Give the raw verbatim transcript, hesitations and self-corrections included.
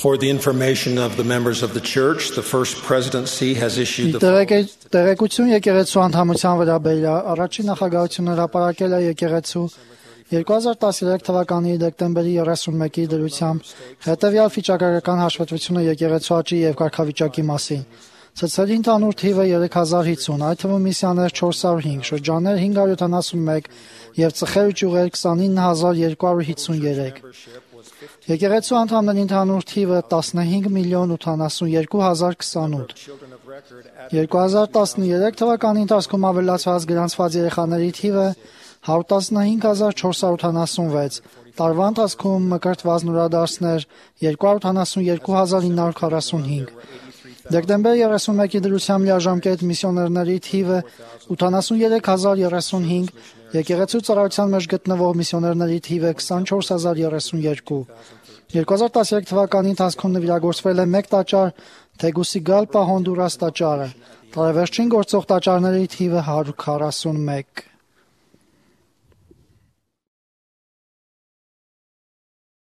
For the information of the members of the church, the First Presidency has issued the Տեղեկություն եկեղեցու անդամության վերաբերյալ առաջին նախագահությունը հրապարակել է եկեղեցու երկու հազար տասներեք թվականի դեկտեմբերի երեսունմեկի դրությամբ հետևյալ վիճակագրական հաշվետվությունը եկեղեցու աճի եւ կարգավիճակի մասին։ Ցցերի ընդհանուր թիվը երեք հազար հինգ, այդ թվում միսիաներ չորս հարյուր հինգ, շրջաններ հինգ հարյուր յոթանասունմեկ եւ ծխեր ու ճյուղեր քսանինը հազար երկու հարյուր հինգսուններեք։ Եկեղեցու անդամների ընդհանուր թիվը տասնհինգ միլիոն ութանասունյոթ հազար քսանութ։ երկու հազար տասներեք թվականի ընթացքում ավելացված գրանցված երեխաների թիվը հարյուր տասնհինգ հազար չորս հարյուր ութանասունվեց, տարվա ընթացքում մկրտված նորադարձներ երկու հարյուր ութանասունյոթ հազար ինը հարյուր քառասունհինգ։ Դեկտեմբեր երեսունմեկի դրությամբ լիաժամկետ միսիոներների թիվը ութանասուներեք հազար երեսունհինգ, եկեղեցու ծառայության մեջ գտնվող միսիոներների թիվը քսանչորս հազար երեսունյոթ։ երկու հազար տասներեք թվականի ընթացքում նվիրագործվել է մեկ տաճար Թեգուսիգալպա Հոնդուրաս տաճարը, տարեվերջին գործող տաճարների թիվը հարյուր քառասունմեկ։